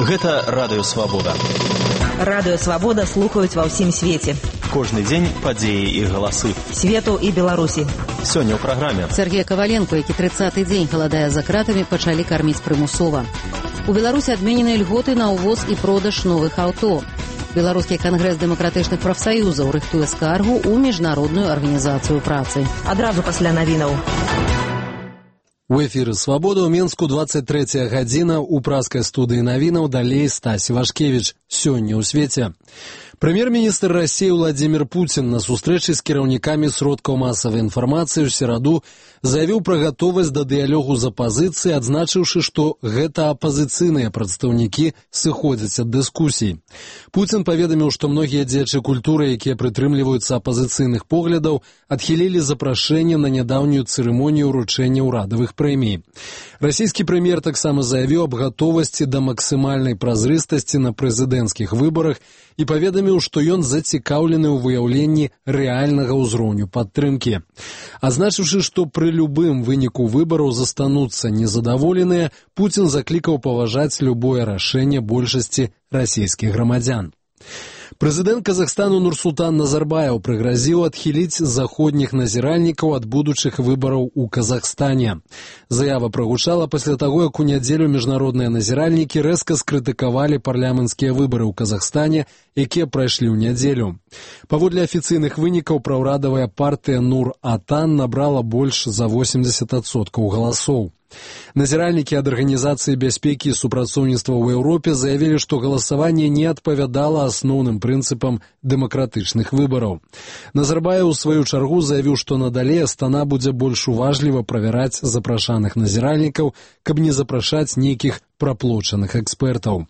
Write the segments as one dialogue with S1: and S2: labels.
S1: Гэта Радыё Свабода.
S2: Радыё Свабода слухаюць ва ўсім свеце.
S1: Кожны дзень падзеі і галасы.
S2: Свету і Беларусі.
S1: Сёння ў праграме.
S3: Сергей Коваленко, які 30-й дзень галадае за кратамі, пачалі карміць прымусова. У Беларусі адменены льготы на ўвоз і продаж новых аўто. Беларускі кангрэс дэмакратычных прафсаюзаў рыхтуе скаргу ў міжнародную арганізацыю працы.
S2: Адразу пасля навінаў.
S4: У эфіры «Свабода» ў Менску 23 гадзіна. У праскай студыі навінаў далей Стась Вашкевіч. Сёння ў свеце. Прэм'ер-міністр России Владимир Путин на сустрэчы з кіраўнікамі сродкаў масавай інфармацыі ў сераду заявіў пра гатовасць да дыялогу з апазіцыяй, адзначыўшы, што гэта апазіцыйныя прадстаўнікі сыходзяць ад дыскусій. Путин паведаміў, што многія дзеячы культуры, якія прытрымліваюцца апазіцыйных поглядаў, адхілілі запрашэнне на нядаўнюю цырымонію ўручэння ўрадавых прэмій. Расійскі прэм'ер таксама заявіў аб гатовасці да максімальнай празрыстасці на прэзідэнцкіх выбарах і паведаміў, што ён зацікаўлены ў выяўленні рэальнага ўзроўню падтрымкі. Адзначыўшы, што пры любым выніку выбараў застануцца незадаволеныя, Путин заклікаў паважаць любое рашэнне большасці расійскіх грамадзян. Прэзідэнт Казахстану Нурсултан Назарбаев прыгразіў адхіліць заходніх назіральнікаў ад будучых выбараў у Казахстане. Заява прагучала пасля таго, як у нядзелю міжнародныя назіральнікі рэзка скрытыкавалі парламенцкія выбары ў Казахстане, якія прайшлі ў нядзелю. Паводле афіцыйных вынікаў праўрадавая партыя Нур-Атан набрала больш за 80% галасоў. Назіральнікі ад Арганізацыі бяспекі і супрацоўніцтва ў Еўропе заявілі, што галасаванне не адпавядала асноўным прынцыпам дэмакратычных выбараў. Назарбаев у сваю чаргу заявіў, што надалей Астана будзе больш уважліва правяраць запрашаных назіральнікаў, каб не запрашаць нейкіх праплочаных экспертаў.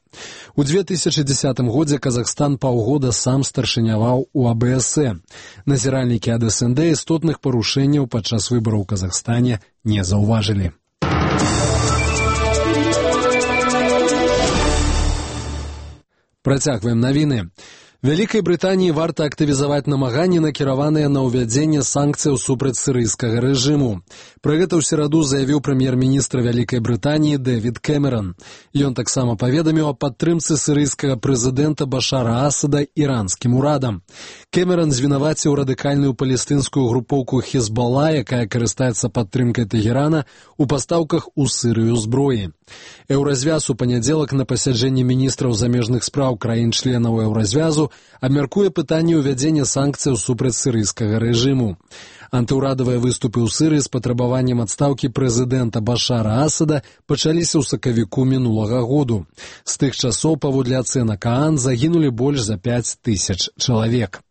S4: У 2010 годзе Казахстан паўгода сам старшыняваў у АБСЭ. Назіральнікі ад СНД істотных парушэнняў падчас выбараў у Казахстане не заўважылі. Працягваем навіны. Вялікай Брытаніі варта актывізаваць намаганні, накіраваныя на ўвядзенне санкцыяў супраць сірыйскага рэжыму. Пра гэта ў сераду заявіў прэм'ер-міністр Вялікай Брытаніі Дэвід Кэмерон. Ён таксама паведаміў аб падтрымцы сірыйскага прэзідэнта Башара Асада іранскім урадам. Кэмерон звінаваціў радыкальную палестынскую групоўку Хезбалла, якая карыстаецца падтрымкай Тэгерана, у пастаўках у Сірыю зброі. Еўразвяз у панядзелак на пасяджэнні міністраў замежных спраў краін-членаў Еўразвязу абмяркуе пытанне ўвядзення санкцыяў супраць сірыйскага рэжыму. Антыўрадавыя выступы ў Сірыі з патрабаваннем адстаўкі прэзідэнта Башара Асада пачаліся ў сакавіку мінулага году. З тых часоў, паводле ацэнак ААН, загінулі больш за 5000 чалавек.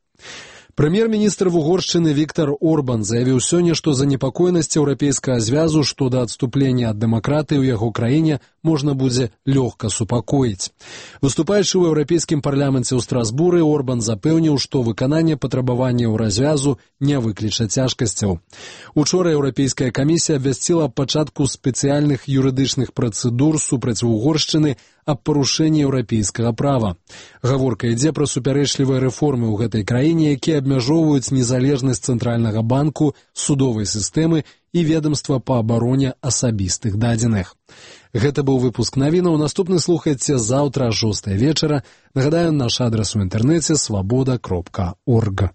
S4: Прэм'ер-міністр Угоршчыны Віктар Орбан заявіў сёння, што занепакоенасць Еўрапейскага звязу што да адступлення ад дэмакратыі ў яго краіне можна будзе лёгка супакоіць. Выступаючы ў Еўрапейскім парламенце ў Страсбуры, Орбан запэўніў, што выкананне патрабаванняў развязу не выкліча цяжкасцяў. Учора Еўрапейская камісія абвясціла аб пачатку спецыяльных юрыдычных працэдур супраць Угоршчыны аб парушэнні еўрапейскага права. Гаворка ідзе пра супярэчлівыя рэформы ў гэтай краіне, якія абмяжоўваюць незалежнасць цэнтральнага банку, судовай сістэмы і ведамства па абароне асабістых дадзеных. Гэта быў выпуск навінаў. Наступны слухайце заўтра о 6 вечара. Нагадаю, наш адрас у інтэрнэце свабода.орг.